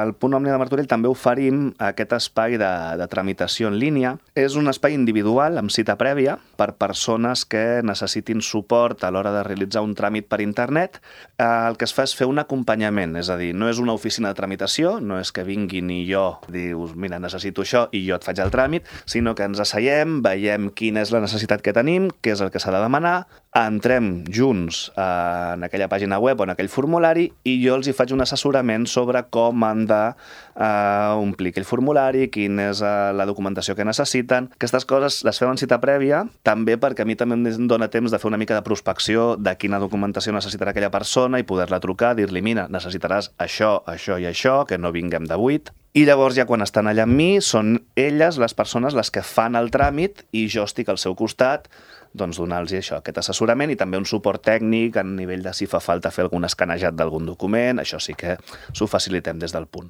Al Punt Òmnia de Martorell també oferim aquest espai de tramitació en línia. És un espai individual amb cita prèvia per persones que necessitin suport a l'hora de realitzar un tràmit per internet. El que es fa és fer un acompanyament, és a dir, no és una oficina de tramitació, no és que vinguin i jo dius, mira, necessito això i jo et faig el tràmit, sinó que ens asseiem, veiem quina és la necessitat que tenim, què és el que s'ha de demanar, entrem junts en aquella pàgina web o en aquell formulari i jo els hi faig un assessorament sobre com han d'omplir aquell formulari, quina és la documentació que necessiten. Aquestes coses les fem en cita prèvia, també perquè a mi també em dóna temps de fer una mica de prospecció de quina documentació necessitarà aquella persona i poder-la trucar, dir-li, mira, necessitaràs això, això i això, que no vinguem de buit. I llavors ja quan estan allà amb mi són elles, les persones, les que fan el tràmit i jo estic al seu costat doncs donar-los això, aquest assessorament i també un suport tècnic a nivell de si fa falta fer algun escanejat d'algun document, això sí que s'ho facilitem des del punt.